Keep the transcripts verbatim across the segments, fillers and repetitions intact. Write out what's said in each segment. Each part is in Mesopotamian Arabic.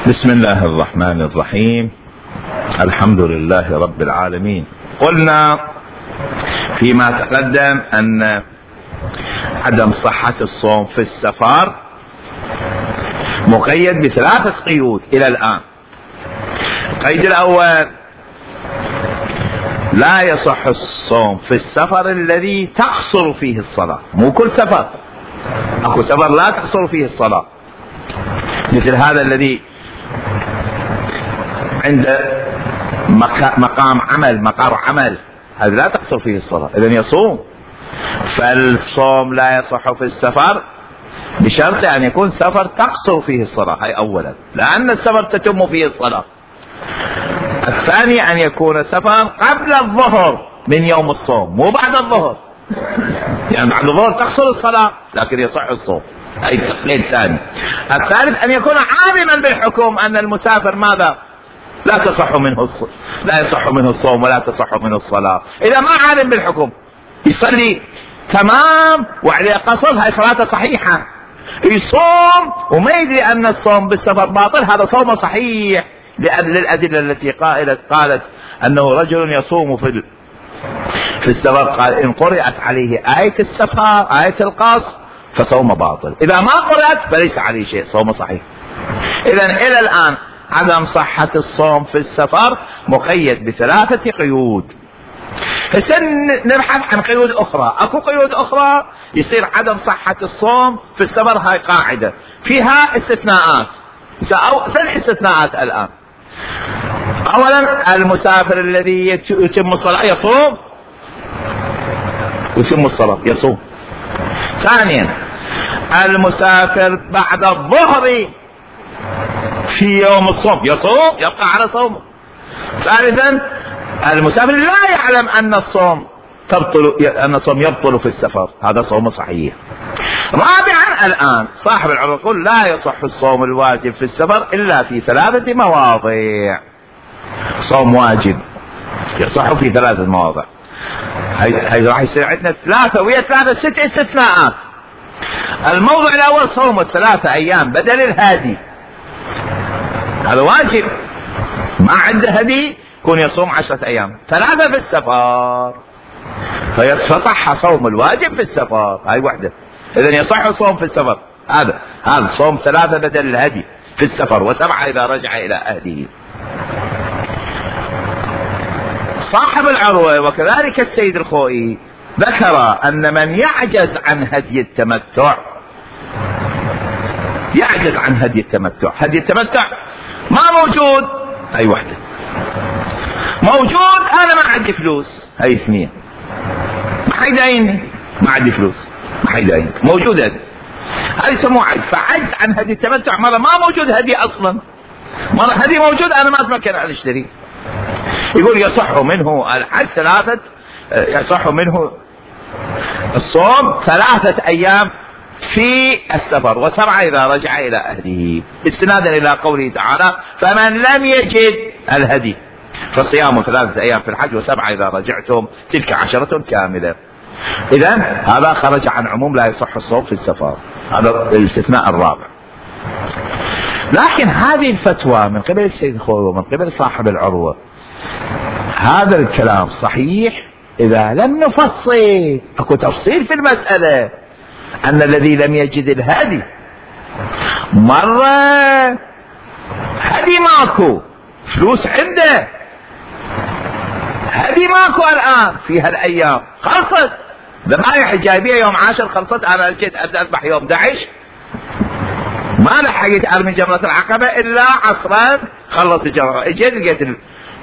بسم الله الرحمن الرحيم. الحمد لله رب العالمين. قلنا فيما تقدم أن عدم صحة الصوم في السفر مقيد بثلاثة قيود إلى الآن. القيد الأول: لا يصح الصوم في السفر الذي تقصر فيه الصلاة. مو كل سفر، اكو سفر لا تقصر فيه الصلاة، مثل هذا الذي عند مقام عمل مقر عمل، هذا لا تقصر فيه الصلاة، إذن يصوم. فالصوم لا يصح في السفر بشرط أن يكون سفر تقصر فيه الصلاة، هاي أولا، لأن السفر تتم فيه الصلاة. الثاني أن يكون سفر قبل الظهر من يوم الصوم، مو بعد الظهر، يعني بعد الظهر تقصر الصلاة لكن يصح الصوم، هاي التقييد الثاني. الثالث أن يكون عالما بالحكم أن المسافر ماذا؟ لا تصح منه الصوم، لا يصح منه الصوم ولا تصح منه الصلاة. إذا ما عالم بالحكم يصلي تمام وعليه قصر، هاي صلاته صحيحة. يصوم وما يدري أن الصوم بالسفر باطل، هذا صومه صحيح، للأدلة التي قالت قالت أنه رجل يصوم في في السفر، قال إن قرأت عليه آية السفر آية القصر فصوم باطل، إذا ما قرأت فليس عليه شيء، صومه صحيح. إذن إلى الآن عدم صحة الصوم في السفر مقيد بثلاثة قيود. هسه نبحث عن قيود أخرى. أكو قيود أخرى يصير عدم صحة الصوم في السفر، هاي قاعدة فيها استثناءات. ثلاث استثناءات الآن. أولا: المسافر الذي يتم الصلاة يصوم يتم الصلاة يصوم. ثانيا: المسافر بعد الظهر في يوم الصوم يصوم، يبقى على صومه. ثالثا: المسافر لا يعلم أن الصوم تبطل أن الصوم يبطل في السفر، هذا صومه صحيح. رابعا الآن صاحب العروة يقول لا يصح الصوم الواجب في السفر إلا في ثلاثة مواضع. صوم واجب يصح في ثلاثة مواضع، هاي راح يصير عندنا ثلاثة ويا ثلاثة ست استثناءات. الموضوع الأول: صوم الثلاثة أيام بدل الهادي، هذا واجب، ما عنده هدي يكون يصوم عشرة أيام. ثلاثة في السفر فيصح صوم الواجب في السفر، هاي وحدة. إذن يصح الصوم في السفر، هذا هذا صوم ثلاثة بدل الهدي في السفر، وسبعة إذا رجع إلى أهله. صاحب العروة وكذلك السيد الخوئي ذكر أن من يعجز عن هدي التمتع يعجز عن هدي التمتع هدي التمتع ما موجود، هاي وحدة. موجود أنا ما عندي فلوس، هاي اثنين. ما حيدايني، ما عندي فلوس، ما حيدايني. موجود هدي، هذا يسموه عجز. فعجز عن هدي التمتع، مرة ما موجود هدي أصلا، مرة هدي موجود أنا ما أتمكن أن أشتري. يقول يصح منه الحج ثلاثة يصح منه الصوم ثلاثة أيام في السفر، وسبعة إذا رجع إلى أهله، استنادا إلى قوله تعالى: فمن لم يجد الهدي فصيام ثلاثة أيام في الحج وسبعة إذا رجعتم تلك عشرة كاملة. إذن هذا خرج عن عموم لا يصح الصوم في السفر، هذا الاستثناء الرابع. لكن هذه الفتوى من قبل السيد الخوئي ومن قبل صاحب العروة، هذا الكلام صحيح إذا لم نفصل. أكو تفصيل في المسألة، أن الذي لم يجد الهدي مرة هدي ماكو، فلوس عنده، هدي ماكو الآن في هالأيام، خلصت ذبائح جايبية يوم عاشر، خلصت. أنا جيت أبدأ أذبح يوم داعش، ما لحقت أرمي جمرة العقبة إلا عصرا، خلص الجمرة، اجيت لقيت ال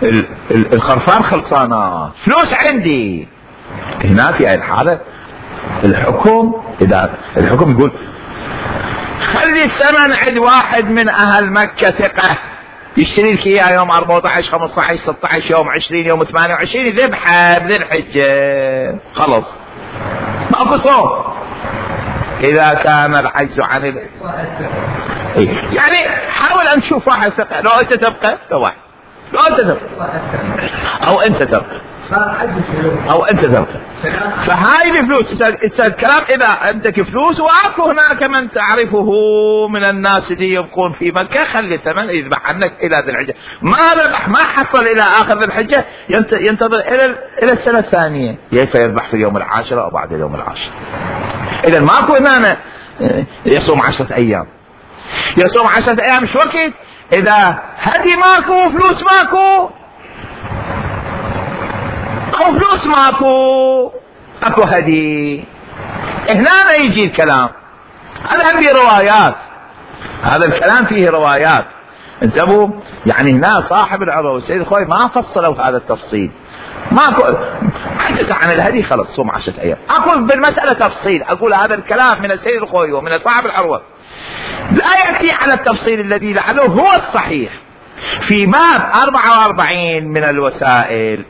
ال ال الخرفان خلصانة، فلوس عندي. هنا في هاي الحالة الحكم إذا الحكم يقول خلي الثمن عند واحد من أهل مكة ثقة يشتري لك إياه يوم أربعة عشر خمسة عشر ستة عشر يوم عشرين يوم ثمانية وعشرين ذبحة بذي الحجة، خلص ماكو صوم. إذا كان العجز عن ال... يعني حاول أن تشوف واحد ثقة، لو أنت تبقى لو واحد لو أنت تبقى أو أنت تبقى او انت تركب. فهاي الفلوس اذا الكلام اذا عندك فلوس واكو هناك من تعرفه من الناس اللي يبقون في مكة خلي الثمن يذبح عنك الى ذي الحجة. ما ذبح ما حصل الى اخر ذي الحجة ينتظر الى الى السنة الثانية كيف يذبح في اليوم العاشر او بعد اليوم العاشر. اذا ماكو هنا يصوم عشرة ايام يصوم عشرة ايام شو وقت اذا هدي ماكو فلوس ماكو او فلوس ماكو اكو هدي. هنا يجي الكلام هذا فيه روايات هذا الكلام فيه روايات انتبهوا. يعني هنا صاحب العروة والسيد الخوي ما فصلوا هذا التفصيل ماكو حدث عن الهدي خلص صوم عشرة ايام. اقول بالمسألة تفصيل اقول هذا الكلام من السيد الخوي ومن صاحب العروة لا يأتي على التفصيل الذي لعله هو الصحيح في باب أربعة وأربعين من الوسائل.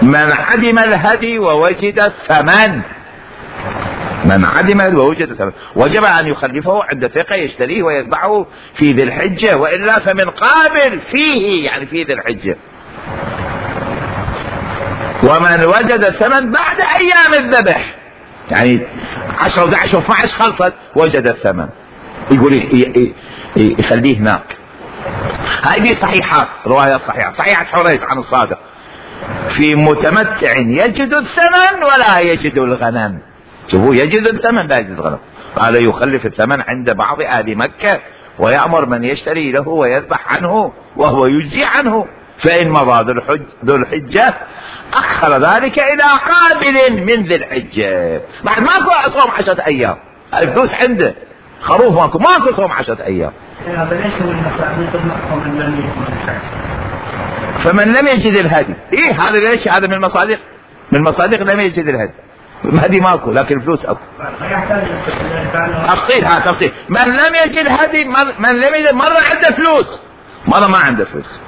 من عدم الهدي ووجد الثمن من عدم ووجد الثمن وجب أن يخلفه عند ثقة يشتريه ويتبعه في ذي الحجة وإلا فمن قابل فيه يعني في ذي الحجة. ومن وجد الثمن بعد أيام الذبح يعني عشرة وأحد عشر واثني عشر خلصت وجد الثمن يقول يخليه هناك. هذه صحيحات روايات صحيحة. صحيحة حريث عن الصادق في متمتع يجد الثمن ولا يجد الغنم. شوفوا يجد الثمن لا يجد الغنم. قال يخلف الثمن عند بعض أهل مكة ويأمر من يشتري له ويذبح عنه وهو يجزي عنه فإن مضى ذو الحجة أخر ذلك إلى قابل من ذي الحجة. بعد ماكو صوم عشرة أيام الفلوس عنده خروف ماكو ماكو صوم عشرة أيام. فمن لم يجد الهدي إيه هذا ليش هذا من المصادق من المصادق لم يجد الهدي الهدي ماكو لكن الفلوس أكو. تفصيل ها تفصيل من لم يجد هدي من لم يجد مرة عنده فلوس مرة ما عنده فلوس.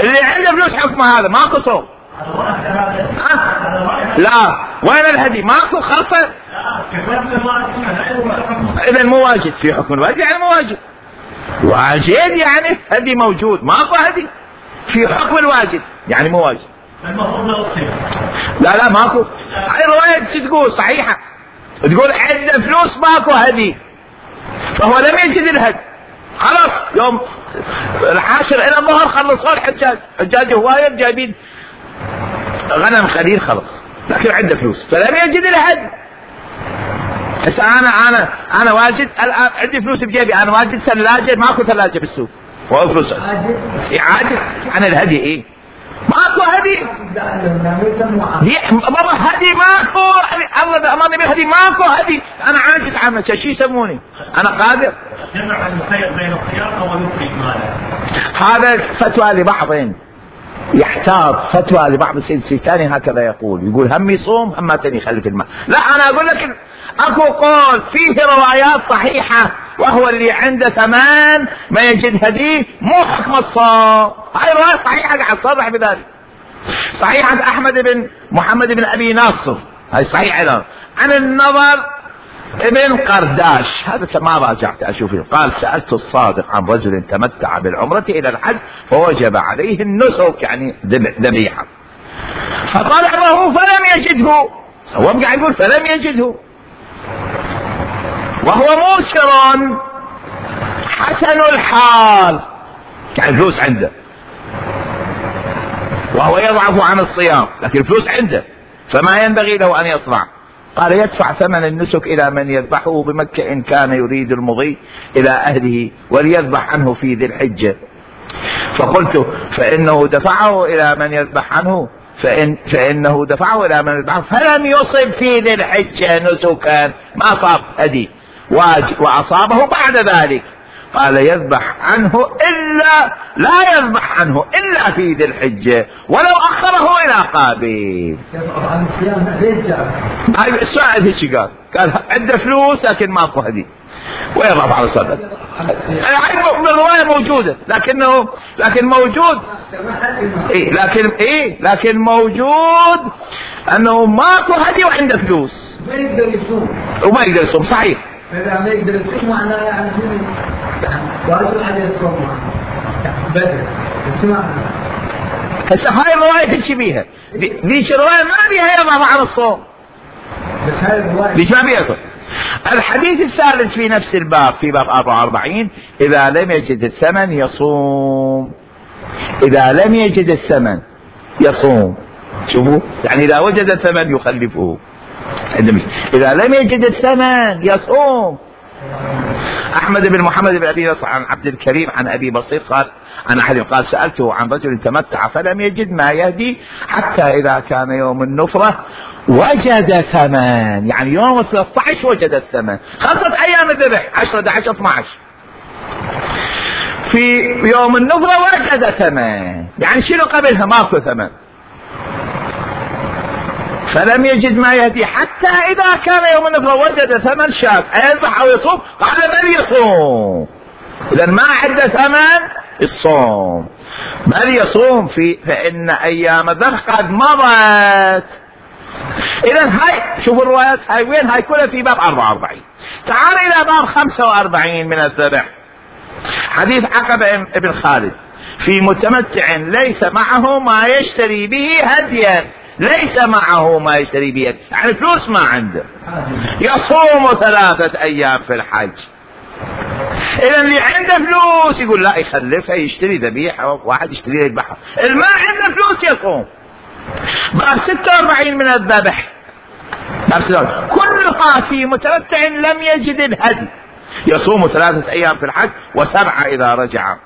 اللي عنده فلوس حكمه هذا ماكو صوم. لا وين الهدي ماكو خلصه. اذا مو واجد في حكم الواجب يعني مو واجب واجد يعني هدي موجود ماكو هدي في حكم الواجب يعني مو واجب. لا لا ماكو. هاي رواية شو تقول صحيحة تقول عنده فلوس ماكو هدي فهو لم يجد الهدي خلاص يوم العاشر الى الظهر خلصوا الحجاج حجاج هواية جايبين غنم خليل خلص لكن عنده فلوس فلم يجد الهدي. هسه انا انا انا واجد الان عندي فلوس بجيبي انا واجد ثلاجة ماكو ثلاجة بالسوق وفلوس عاجز عن الهدي ايه ماكو هدي مرة هدي ماكو الله امرني بالهدي ماكو هدي انا عاجز عنه شو يسموني انا قادر جمع المخير بين الخيار او يخرج ماله. هذا فتوى لبعض يحتاط فتوى لبعض السيد السيستاني هكذا يقول يقول هم يصوم هم تاني يخلف الماء. لا انا اقول لك اكو قول فيه روايات صحيحة وهو اللي عنده ثمان ما يجد هديه مو حكم الصوم. هاي رواية صحيحة قاعد صرح بذلك. صحيحة احمد بن محمد بن ابي ناصر هاي صحيح ايضا عن النظر ابن قرداش هذا ما راجعت اشوفه قال سألت الصادق عن رجل تمتع بالعمرة الى الحج فوجب عليه النسك يعني ذبيحة فطلبه فلم يجده. هو قاعد يقول فلم يجده وهو موسر حسن الحال يعني فلوس عنده وهو يضعف عن الصيام لكن الفلوس عنده فما ينبغي له ان يصنع. قال يدفع ثمن النسك إلى من يذبحه بمكة إن كان يريد المضي إلى أهله وليذبح عنه في ذي الحجة. فقلت فإنه دفعه إلى من يذبح عنه فإن فإنه دفعه إلى من يذبح فلم يصب في ذي الحجة نسكا ما صاب هدي وأصابه بعد ذلك. قال يذبح عنه إلا لا يذبح عنه إلا في ذي الحجة ولو أخره إلى قابل. هاي السؤال هيك قال قال عنده فلوس لكن ماكو هدي ويضرب على الصدق. هاي الرواية موجودة لكنه لكن موجود إيه لكن إيه لكن موجود أنه ماكو هدي وعنده فلوس ما يقدر يصوم وما يقدر يصوم صحيح. إذا ما يقدر يصوم معناه يعني واجب عليه الصوم بدل اسمع هسه هاي الرواية تحكي بيها، ذيك الرواية ما بيها يضع عن الصوم، بس هاي الرواية ليش ما بيها صوم؟ الحديث الثالث في نفس الباب في باب أربعة وأربعين إذا لم يجد الثمن يصوم، إذا لم يجد الثمن يصوم. شوفوا يعني إذا وجد الثمن يخلفه، إذا لم يجد الثمن يصوم. أحمد بن محمد بن أبي نصر عن عبد الكريم عن أبي بصير قال عن أحد قال سألته عن رجل تمتع فلم يجد ما يهدي حتى إذا كان يوم النفرة وجد ثمن، يعني يوم ثلاثة عشر وجد الثمن، خمسة أيام الذبح عشرة أحد عشر اثني عشر، في يوم النفرة وجد ثمن، يعني شنو قبلها ماكو ثمن، فلم يجد ما يهدي حتى إذا كان يوم النفرة وجد ثمن شاة أيذبح أو يصوم، قال بل يصوم. إذا ما عنده ثمن الصوم بل يصوم في فإن أيام الذبح قد مضت. إذا هاي شوفوا الروايات هاي وين، هاي كلها في باب أربعة وأربعين. تعال إلى باب خمسة وأربعين من الذبح، حديث عقبة بن خالد في متمتع ليس معه ما يشتري به هديا، ليس معه ما يشتري به يعني فلوس ما عنده، يصوم ثلاثة أيام في الحج. إذا اللي عنده فلوس يقول لا يخلفها يشتري ذبيحة، واحد يشتري يذبحها، اللي ما عنده فلوس يصوم. باب ستة وأربعين من الذبح، باب ستة وأربعين كلها في متمتع لم يجد الهدي يصوم ثلاثة أيام في الحج وسبعة إذا رجع،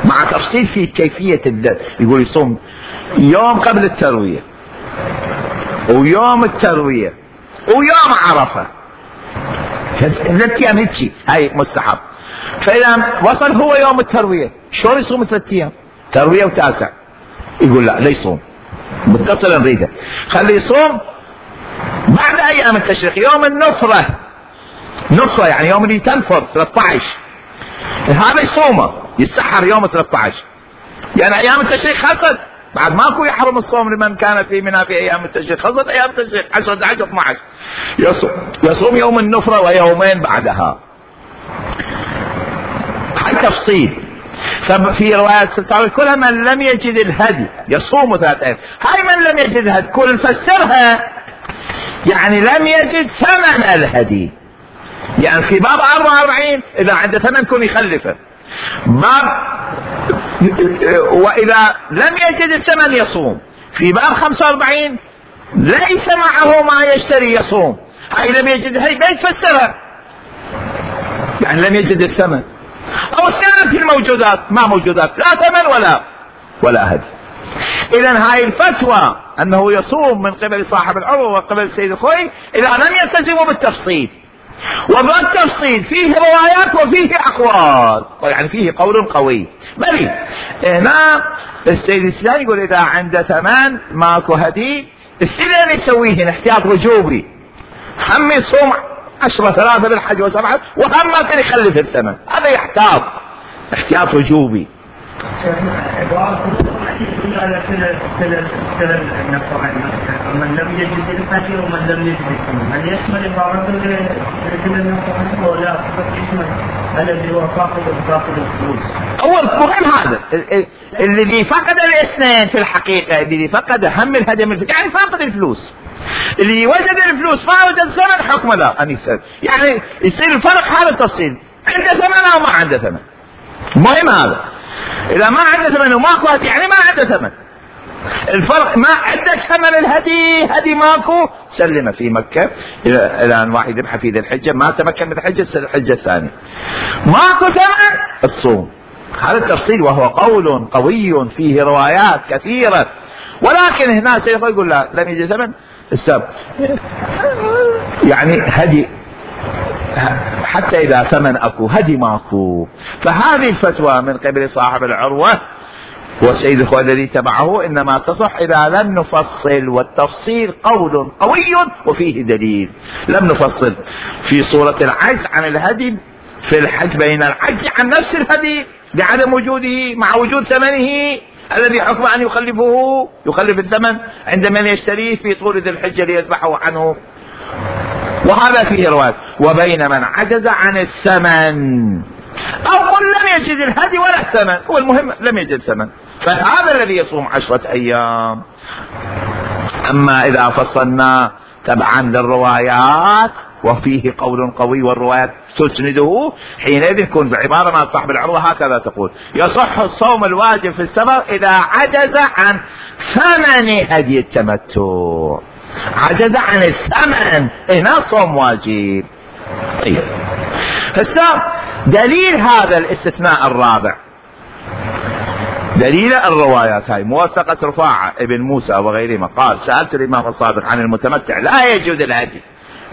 مع تفصيل في كيفية الذبح. يقول يصوم يوم قبل التروية ويوم التروية ويوم عرفة، ثلاث أيام هيك هاي مستحب. فإذا وصل هو يوم التروية شلون يصوم ثلاث أيام تروية وتاسع؟ يقول لا لا يصوم، متصل نريده خليه يصوم بعد أيام التشريق، يوم النفرة، نفرة يعني يوم اللي تنفر ثلاثة عشر، هذا يصومه يسحر يوم ثلاثة عشر، يعني أيام التشريق خلصت، بعد ماكو يحرم الصوم لمن كان في منى في أيام التشريق، خلصت أيام التشريق عشرة أحد عشر اثني عشر، يصوم يصوم يوم النفرة ويومين بعدها. هاي تفصيل. في روايات ستة كلها من لم يجد الهدي يصوم ثلاثة أيام، هاي من لم يجد الهدي كل فسرها يعني لم يجد ثمن الهدي، يعني في باب أربعة وأربعين إذا عنده ثمن كن يخلفه، باب وإذا لم يجد الثمن يصوم، في باب خمسة وأربعين ليس معه ما يشتري يصوم، هاي لم يجد هاي ما يتفسرها يعني لم يجد الثمن، أو سالت الموجودات ما موجودات لا ثمن ولا ولا هدي. إذا هاي الفتوى أنه يصوم من قبل صاحب العروة وقبل سيد الخوي إذا لم يلتزموا بالتفصيل، وبالتفصيل فيه روايات وفيه أقوال، يعني فيه قول قوي. بل هنا السيد السوداني يقول إذا عنده ثمان ماكو هدي السنة يسويه احتياط وجوبي، هم يصوم عشرة ثلاثة بالحج وسبعة وهم ما كان يخلف الثمن، هذا يحتاط احتياط وجوبي. من لم يجد الهدي ومن لم يجد الثمن، هل يشمل بعض كل النصائح ولا فقط يشمل الذي هو فاقد فاقد الفلوس؟ أول مهم هذا اللي فقد الاثنين في الحقيقة، اللي فقد هم الهدي من يعني فاقد الفلوس، اللي وجد الفلوس ما وجد الثمن حكم لا أن يسأل، يعني يصير الفرق هذا التفصيل، عنده ثمن أو ما عنده ثمن، مهم هذا. إذا ما عنده ثمن وماكو هدي يعني ما عنده ثمن، الفرق ما عندك ثمن الهدي هدي ماكو سلمه في مكة إلى أن واحد يذبح في ذي الحجة ما تمكن من الحجة الحجة الثانية ماكو ثمن الصوم. هذا التفصيل وهو قول قوي فيه روايات كثيرة، ولكن هنا سيقول يقول لا لم يجد ثمن السبب يعني هدي حتى إذا ثمن أكو هدي ماكو. فهذه الفتوى من قبل صاحب العروة والسيد الخوي الذي تبعه إنما تصح إذا لم نفصل، والتفصيل قول قوي وفيه دليل. لم نفصل في صورة العجز عن الهدي في الحج بين العجز عن نفس الهدي لعدم وجوده مع وجود ثمنه الذي حكم أن يخلفه يخلف الثمن عند من يشتريه في طول ذي الحجة ليذبحه عنه، وهذا فيه رواية. وبين من عجز عن الثمن أو قل لم يجد الهدي ولا الثمن، هو المهم لم يجد ثمن فهذا الذي يصوم عشرة أيام. أما إذا فصلنا تبعا للروايات وفيه قول قوي والروايات تسنده، حينئذ يكون بعبارة مع صاحب العروة هكذا تقول: يصح الصوم الواجب في السفر إذا عجز عن ثمن هدي التمتع. عجز عن الثمن، هنا صوم واجب. طيب، هسه دليل هذا الاستثناء الرابع، دليل الروايات هاي موثقة رفاعة ابن موسى وغيرهما قال: سألت الإمام الصادق عن المتمتع لا يجوز الهدي.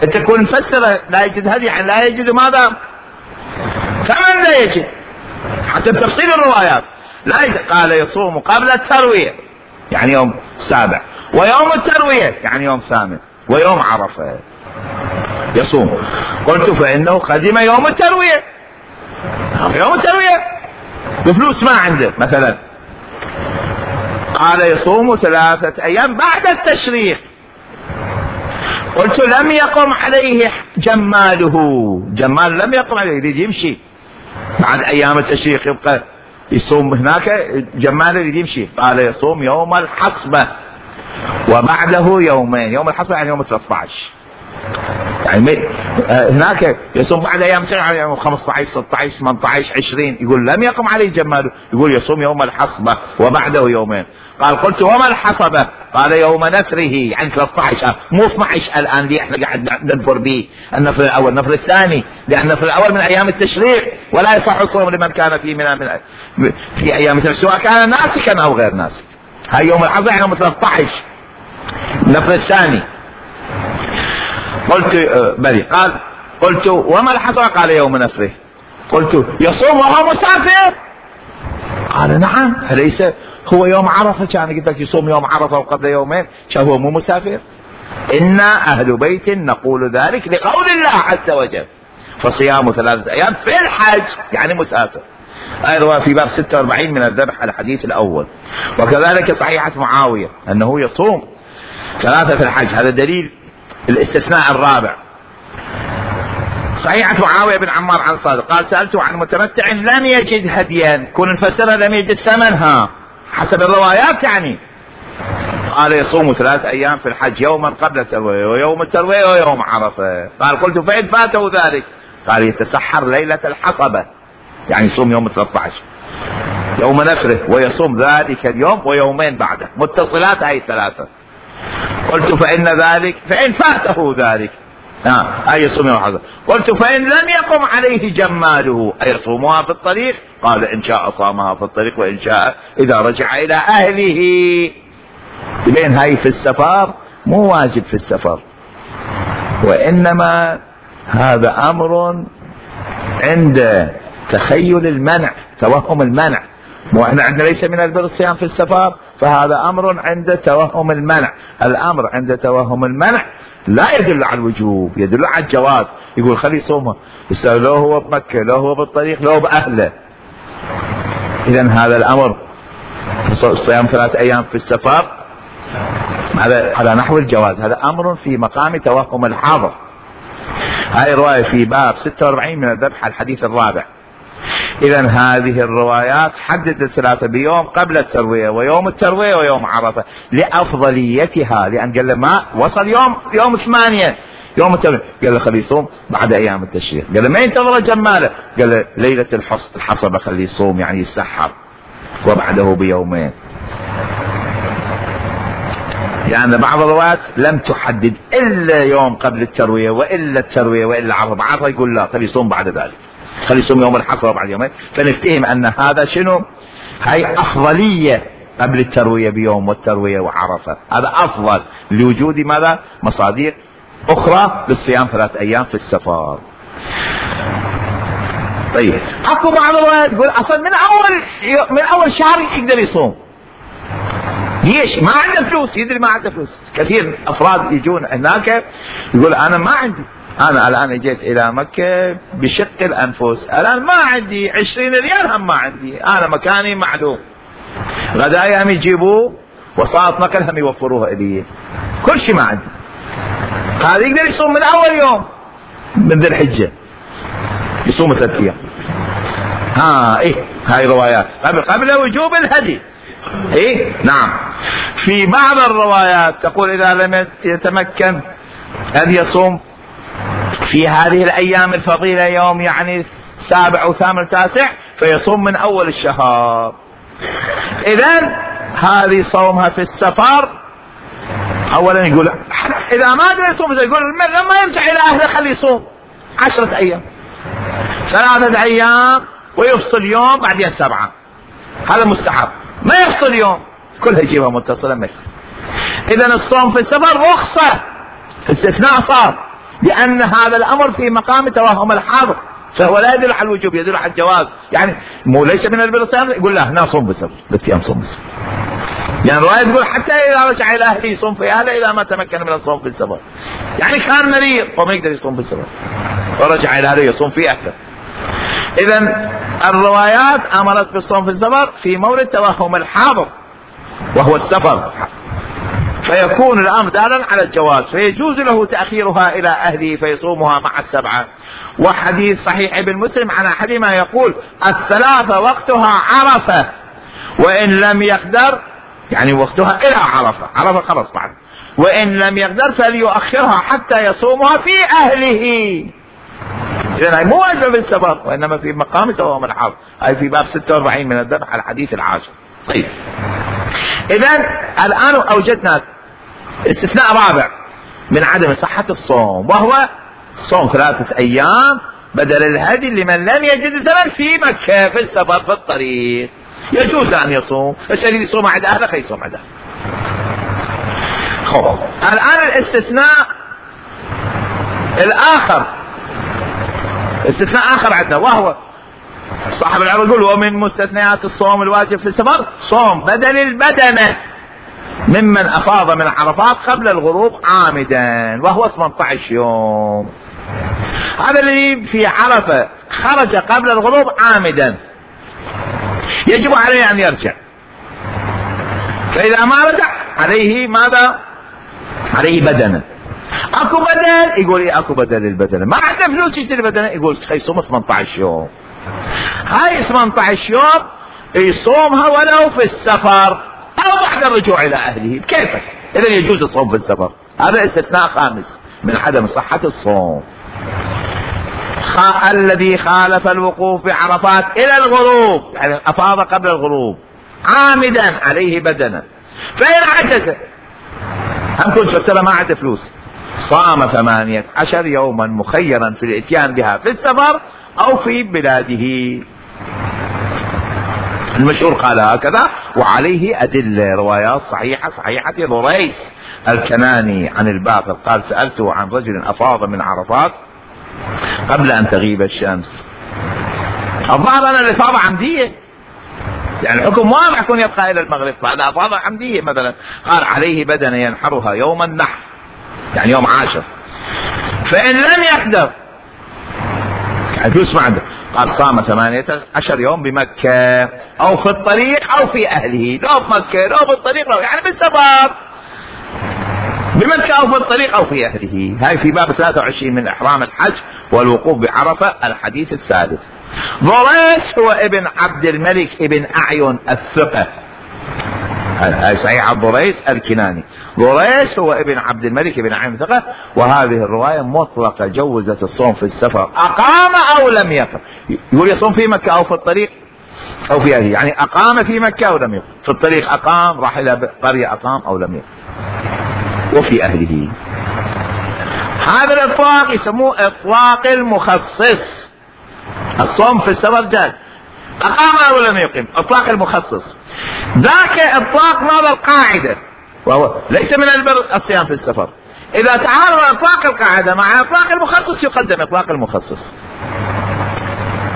انت تكون مفسر لا يجوز هدي، يعني لا يجوز ماذا؟ ثمن لا يجوز حسب تفصيل الروايات. لا يجوز. قال: يصوم قبل التروية يعني يوم سابع، ويوم التروية يعني يوم ثامن، ويوم عرفة يصوم. قلت: فإنه قدم يوم التروية، يوم التروية بفلوس ما عنده مثلا. قال: يصوم ثلاثة أيام بعد التشريق. قلت: لم يقم عليه جماله، جمال لم يقم عليه، يريد يمشي بعد أيام التشريق يبقى يصوم هناك، جماله يريد يمشي. قال: يصوم يوم الحصبة وبعده يومين. يوم الحصبة يعني يوم ثلاثة عشر، يعني هناك يصوم بعد ايام يعني يوم خمسة عشر ستة عشر ثمانية عشر عشرين. يقول لم يقم عليه جماله، يقول يصوم يوم الحصبة وبعده يومين. قال: قلت: وما الحصبة؟ قال: يوم نفره يعني ثلاثة عشر، مو اثني عشر الان اللي احنا قاعد ننفر به، النفر الاول النفر الثاني، لان النفر الاول من ايام التشريق ولا يصح الصوم لمن كان فيه من, من في ايام التشريق سواء كان ناسكا او غير ناسك. هاي يوم الحصبة يعني يوم ثلاثة عشر النفر الثاني. قلت: بلي. قال: قلت: وما الحصبة؟ قال: يوم نفره. قلت: يصوم وهو مسافر؟ قال: نعم. أليس هو يوم عرفة؟ كان قلت لك يصوم يوم عرفة وقبل يومين، كان هو مو مسافر؟ إنا أهل بيت نقول ذلك لقول الله عز وجل: فصيام ثلاثة أيام في الحج يعني مسافر. أيضا في باب ستة وأربعين من الذبح الحديث الأول. وكذلك صحيحة معاوية أنه يصوم ثلاثة في الحج. هذا دليل الاستثناء الرابع. صحيحة معاوية بن عمار عن صادق قال: سألته عن متمتع لم يجد هديا، كون نفسرها لم يجد ثمنها حسب الروايات يعني. قال: يصوم ثلاث أيام في الحج، يوما قبل التروية ويوم التروية ويوم عرفة. قال: قلت: فإن فاته ذلك؟ قال: يتسحر ليلة الحصبة يعني يصوم يوم ثلاثة عشر يوم نفره، ويصوم ذلك اليوم ويومين بعده متصلات هاي ثلاثة. قلت: فإن ذلك فإن فاته ذلك آه. أي يصوم يوم الحصبة. قلت: فإن لم يقم عليه جماله أي يصومها في الطريق؟ قال: إن شاء صامها في الطريق، وإن شاء إذا رجع إلى أهله. بين هاي في السفر مو واجب في السفر، وإنما هذا أمر عند تخيل المنع، توهم المنع. واحنا عندنا ليس من البر الصيام في السفر، فهذا امر عند توهم المنع. الامر عند توهم المنع لا يدل على الوجوب، يدل على الجواز. يقول خلي يصومه، لو هو بمكة لو هو بالطريق لو باهله. اذا هذا الامر الصيام ثلاث ايام في السفر هذا على نحو الجواز، هذا امر في مقام توهم الحاضر. هاي رواية في باب ستة وأربعين من الذبح الحديث الرابع. إذا هذه الروايات حددت ثلاثة بيوم قبل التروية ويوم التروية ويوم عرفة لأفضليتها، لأن قال له ما وصل يوم يوم ثمانية يوم التروية، قال له خليه يصوم بعد أيام التشريق. قال له ما ينتظر جماله، قال له ليلة الحصبة خليه يصوم يعني يسحر وبعده بيومين. لأن يعني بعض الروايات لم تحدد إلا يوم قبل التروية وإلا التروية وإلا عرفة. عرفة يقول لا خليه يصوم بعد ذلك، خلي يصوم يوم الحصبة بعد يومين. فنفتهم ان هذا شنو؟ هاي افضلية قبل التروية بيوم والتروية وعرفة، هذا افضل لوجود ماذا؟ مصادر اخرى للصيام ثلاث ايام في السفر. طيب اكو بعض الروايات يقول اصلا من اول من اول شهر يقدر يصوم. ليش؟ ما عنده فلوس، يدري ما عنده فلوس. كثير افراد يجون هناك يقول انا ما عندي، أنا الآن جيت إلى مكة بشق الأنفس، الآن ما عندي عشرين ريال، هم ما عندي، أنا مكاني معدوم، غدايا هم يجيبوه وصارت نقل هم يوفروها إلي، كل شيء ما عندي. هذا يقدر يصوم من أول يوم من ذي الحجة، يصوم ثلاث أيام. ها إيه هاي روايات قبل قبل وجوب الهدي. ايه نعم. في بعض الروايات تقول اذا لم يتمكن ان يصوم في هذه الايام الفضيلة يوم يعني سابع او ثامن تاسع فيصوم من اول الشهر. اذا هذه صومها في السفر اولا يقول اذا ما ادري يصوم يقول لما يرجع الى اهله خليه يصوم عشرة ايام ثلاثة ايام ويفصل يوم بعدين سبعة، هذا مستحب. ما يفصل يوم كلها يجيبها متصلة مثل. اذا الصوم في السفر رخصة، استثناء صار، لان هذا الامر في مقام توهم الحاضر، فهو لا يدل على الوجوب يدل على الجواز. يعني مو ليس من البر الصيام يقول لا هنا صوم بالسفر ثلاث ايام صوم بالسفر. يعني الرواية تقول حتى اذا رجع الى اهله يصوم في اهله اذا ما تمكن من الصوم في السفر. يعني كان مريض وما يقدر يصوم بالسفر ورجع الى اهله يصوم في اهله. اذا الروايات امرت بالصوم في السفر في مورد توهم الحاضر وهو السفر، فيكون الامر دالا على الجواز، فيجوز له تاخيرها الى اهله فيصومها مع السبعه. وحديث صحيح ابن مسلم عن احدهما يقول الثلاثه وقتها عرفه وان لم يقدر، يعني وقتها الى عرفه، عرفه خلص بعد، وان لم يقدر فليؤخرها حتى يصومها في اهله. إذا مو واجب في السفر وإنما في مقام توهم الحاضر، أي في باب ستة وأربعين من الذبح على الحديث العاشر. طيب إذا الآن أوجدنا استثناء رابع من عدم صحة الصوم، وهو صوم ثلاثة أيام بدل الهدي لمن لم يجد الزمن في مكة في السفر في الطريق. يجوز أن يصوم، بس اللي يصوم عند أهله خي يصوم عنده. خب الآن الاستثناء الآخر، استثناء آخر عندنا، وهو صاحب العرض يقول ومن مستثنيات الصوم الواجب في السفر صوم بدل البدنة ممن أفاض من عرفات قبل الغروب عامدا، وهو ثمانية عشر يوم. هذا الذي في عرفة خرج قبل الغروب عامدا يجب عليه أن يرجع، فإذا ما رجع عليه ماذا؟ عليه بدنة. اكو بدل يقول ايه اكو بدل البدنة، ما عنده فلوس يشتري بدنة يقول يصوم ثمانية عشر يوم. هاي ثمانية عشر يوم يصومها ولو في السفر او بعد الرجوع الى اهله كيفك. اذا يجوز الصوم في السفر. هذا استثناء خامس من عدم صحة الصوم. خ... الذي خالف الوقوف بعرفات الى الغروب، يعني افاض قبل الغروب عامدا عليه بدنة، فإن عجز هم كنت في السفر ما عنده فلوس صام ثمانية عشر يوما مخيرا في الاتيان بها في السفر او في بلاده. المشهور قال هكذا، وعليه ادله روايات صحيحه صحيحه. ضريس الكناني عن الباقر قال سالته عن رجل افاض من عرفات قبل ان تغيب الشمس. الظاهر ان الافاضه عمديه، يعني الحكم واضح يكون يبقى الى المغرب، فهذا افاضه عمديه مثلا. قال عليه بدنه ينحرها يوم النحر يعني يوم عاشر، فإن لم يقدر يعني فلوس ما عنده قال صام ثمانية عشر يوم بمكة أو في الطريق أو في أهله، لو بمكة لو بالطريق لو يعني بالسفر بمكة أو في الطريق أو في أهله. هاي في باب ثلاثة وعشرين من إحرام الحج والوقوف بعرفة الحديث السادس. ضريس هو ابن عبد الملك ابن أعين الثقة، هاي صحيح عبد ضريس الكناني. ضريس هو ابن عبد الملك ابن عين الثقة. وهذه الرواية مطلقة جوزت الصوم في السفر أقام أو لم يقم. يقول يصوم في مكة أو في الطريق أو في أهله، يعني أقام في مكة أو لم يقم، في الطريق أقام، راح إلى قرية أقام أو لم يقم، وفي أهله. هذا الإطلاق يسموه إطلاق المخصص. الصوم في السفر جاز أقام أو لم يقم، إطلاق المخصص. ذاك إطلاق ماذا القاعدة، وهو ليس من البر الصيام في السفر. إذا تعارض إطلاق القاعدة مع إطلاق المخصص يقدم إطلاق المخصص،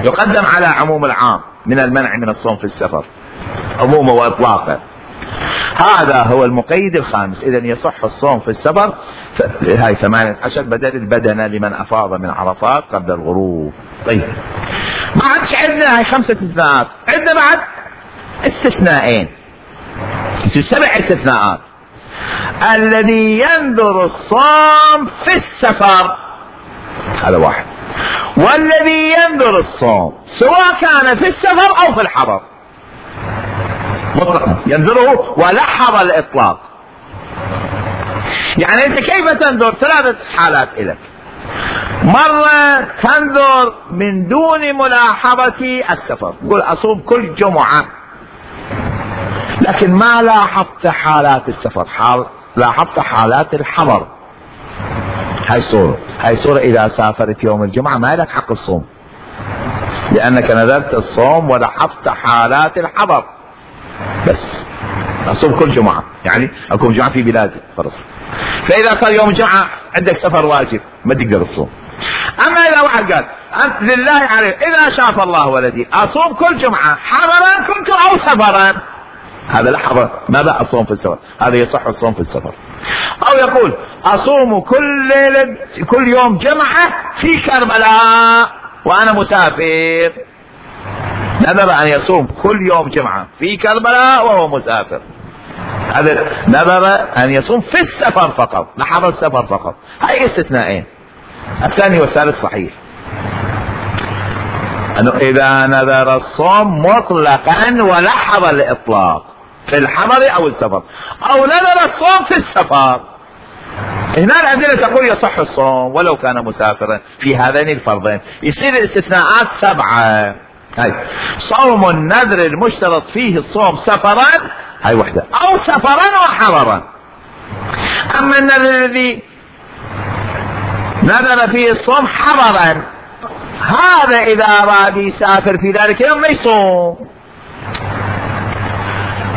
يقدم على عموم العام من المنع من الصوم في السفر عمومه وإطلاقه. هذا هو المقيد الخامس. إذن يصح الصوم في السفر هاي ثمانية عشر بدل البدنة لمن أفاض من عرفات قبل الغروب. طيب ما عادش عندنا هاي خمسة استثناءات، عندنا بعد استثناءين، سبع استثناءات. الذي ينذر الصوم في السفر هذا واحد، والذي ينذر الصوم سواء كان في السفر أو في الحضر. مطلقا ينذره ولحظ الإطلاق. يعني أنت كيف تنذر؟ ثلاثة حالات لك. مرة تنذر من دون ملاحظة السفر، قل أصوم كل جمعة، لكن ما لاحظت حالات السفر، حال لاحظت حالات الحضر. هاي صورة هاي صورة إذا سافرت يوم الجمعة ما لك حق الصوم، لأنك نذرت الصوم ولاحظت حالات الحضر. بس أصوم كل جمعة، يعني أكون جمعة في بلادي فرص. فإذا صار يوم الجمعة عندك سفر واجب ما تقدر الصوم. أما إذا واحد قال أنت لله عليه إذا شاف الله ولدي أصوم كل جمعة حضرا كنت أو سفرا، هذا لحظة ماذا أصوم في السفر، هذا يصح الصوم في السفر. أو يقول أصوم كل ليلة كل يوم جمعة في كربلاء وأنا مسافر، نذر أن يصوم كل يوم جمعة في كربلاء وهو مسافر، هذا نذر أن يصوم في السفر فقط، لحظة السفر فقط. هاي استثنائين، الثاني والثالث صحيح. أنه إذا نذر الصوم مطلقا ولحظ الإطلاق في الحضر أو السفر، أو نذر الصوم في السفر، هنا الأدلة تقول يصح الصوم ولو كان مسافرا في هذين الفرضين. يصير الاستثناءات سبعة. هاي صوم النذر المشترط فيه الصوم سفرا، هاي وحدة، أو سفرا وحضرا. أما النذر الذي نذر فيه الصوم حضرا، هذا إذا أراد يسافر في ذلك يوم ما يصوم.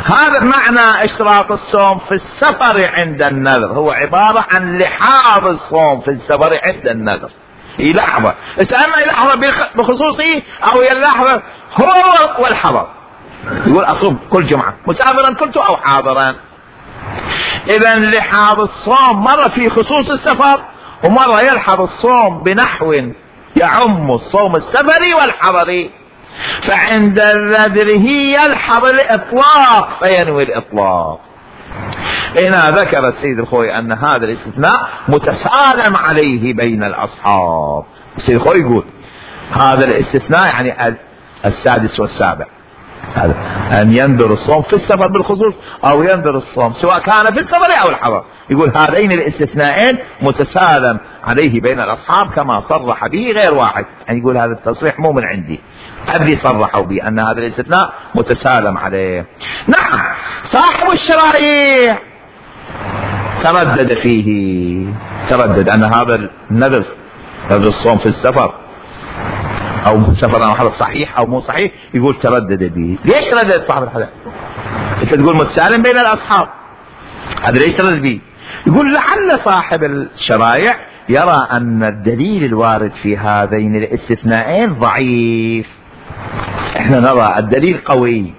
هذا معنى اشتراط الصوم في السفر عند النذر، هو عبارة عن لحاظ الصوم في السفر عند النذر. هي لحظة، اما لحظة بخصوصه أو هي اللحظة هو والحضر. يقول أصوم كل جمعة مسافرا كنت أو حاضرا. إذا لحاظ الصوم مرة في خصوص السفر، ومرة يلحظ الصوم بنحو يعم الصوم السفري والحضري. فعند النذر يلحظ الإطلاق فينوي الإطلاق. هنا ذكر السيد الخوي أن هذا الاستثناء متسالم عليه بين الأصحاب. السيد الخوي يقول هذا الاستثناء يعني السادس والسابع، هذا أن ينذر الصوم في السفر بالخصوص أو ينذر الصوم سواء كان في السفر أو الحضر. يقول هذين الاستثناءين متسالم عليه بين الأصحاب كما صرح به غير واحد. يعني يقول هذا التصريح مو من عندي، الذي صرحوا به أن هذا الاستثناء متسالم عليه. نعم صاحب الشرائع تردد فيه، تردد أن هذا النذر نذر الصوم في السفر أو سفر أو حضر صحيح أو مو صحيح. يقول تردد به. ليش ردد صاحب الحديث؟ أنت تقول متسالم بين الأصحاب، هذا ليش تردد به؟ يقول لعل صاحب الشرائع يرى أن الدليل الوارد في هذين الاستثنائين ضعيف، احنا نرى الدليل قوي.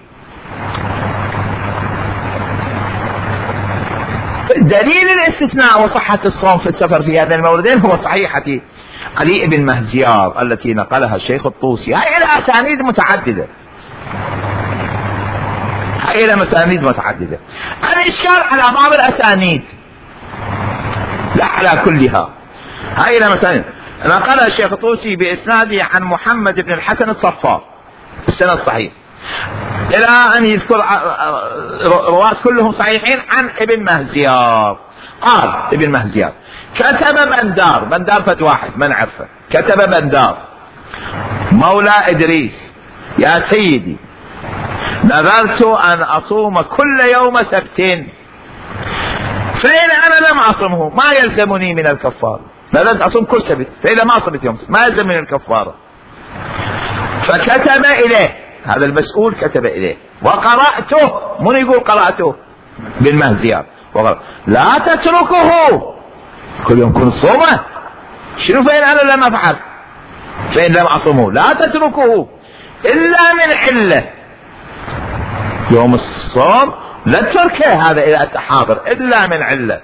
دليل الاستثناء وصحة الصوم في السفر في هذين الموردين هو صحيحة علي بن مهزيار التي نقلها الشيخ الطوسي. هاي إلى أسانيد متعددة، هاي إلى مسانيد متعددة. الإشكال على بعض الأسانيد لا على كلها. هاي إلى مسانيد نقلها الشيخ الطوسي بإسناده عن محمد بن الحسن الصفار السند صحيح، إلى أن يذكر رواة كلهم صحيحين عن ابن مهزيار. قال ابن مهزيار كتب بندار، بندار فت واحد ما نعرفه، كتب بندار مولى إدريس يا سيدي نذرت أن أصوم كل يوم سبت، فإن أنا لم أصمه ما يلزمني من الكفارة. نذرت أصوم كل سبت، فإذا ما صمت يوم ما يلزم من الكفارة. فكتب إليه، هذا المسؤول كتب إليه وقرأته، من يقول قرأته؟ بالمهزيار. وقال لا تتركه كل يوم كن صومه. شنو فإن أنا لم أفعل؟ فإن لم أصمه لا تتركه إلا من علة. يوم الصوم لا تتركه هذا إذا أنت حاضر إلا من علة،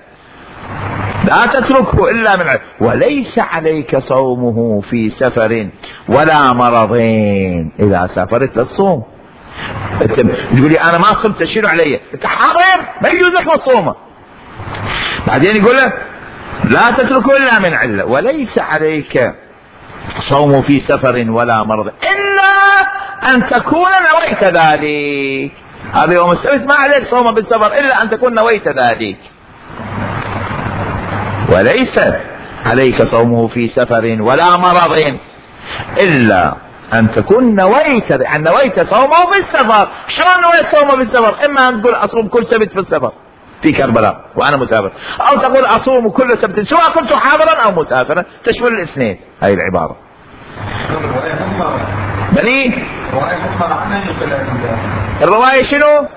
لا تتركه إلا من علة. وليس عليك صومه في سفر ولا مرضين. إذا سافرت لا تصوم. تقول لي أنا ما صمت شنو علي؟ أنت حاضر ما يجوز لك مصومة. بعدين يقول له لا تتركه إلا من علة، وليس عليك صوم في سفر ولا مرض إلا أن تكون نويت ذلك. هذا يوم السبت ما عليك صوم بالسفر إلا أن تكون نويت ذلك، وليس عليك صومه في سفر ولا مرض إلا أن تكون نويت، يعني نويت صومه بالسفر. شلون نويت صومه بالسفر؟ إما أن تقول أصوم كل سبت في السفر في كربلاء وأنا مسافر، أو تقول أصوم كل سبت سواء كنت حاضرا أو مسافرا، تشمل الاثنين هاي العبارة. بني الرواية شنو؟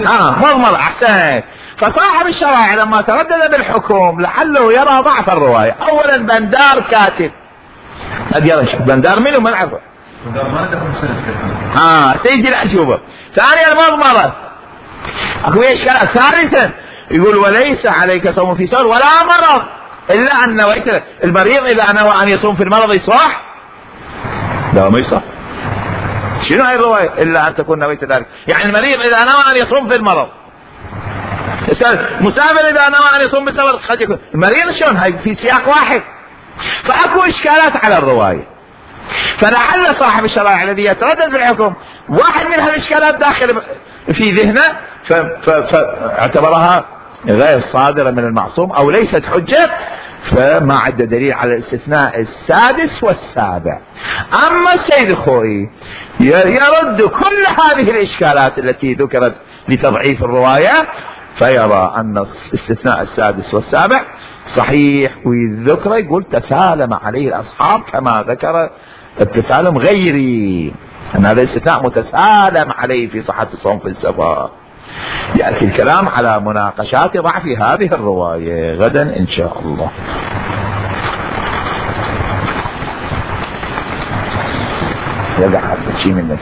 اه مضمر. احسن. فصاحب الشرائع لما تردد بالحكم لعله يرى ضعف الرواية. اولا بندار كاتب، بندار منه ما نعرفه، اه سيدي الأجوبة. ثانيا المضمرة اكو اشكال. ثالثا يقول وليس عليك صوم في سفر ولا مرض الا ان نويت. المريض اذا نوى ان يصوم في المرض يصح؟ لا ما يصح. شنو هاي الرواية؟ إلا أن تكون نويت ذلك. يعني المريض إذا نوى أن يصوم في المرض، مسافر إذا نوى أن يصوم بالسفر قد يكون. المريض شلون؟ هاي في سياق واحد. فأكو إشكالات على الرواية. فلعل صاحب الشرائع الذي يتردد في الحكم واحد من هالإشكالات داخل في ذهنه فاعتبرها غير صادرة من المعصوم أو ليست حجة، فما عد دليل على الاستثناء السادس والسابع. أما السيد الخوئي يرد كل هذه الإشكالات التي ذكرت لتضعيف الرواية، فيرى أن الاستثناء السادس والسابع صحيح، ويذكر يقول تسالم عليه الأصحاب كما ذكر التسالم غيري، أن هذا الاستثناء متسالم عليه في صحة الصوم في السفر. يأتي الكلام على مناقشات ضعف هذه الرواية غدا إن شاء الله. يقع هذا الشيء منك.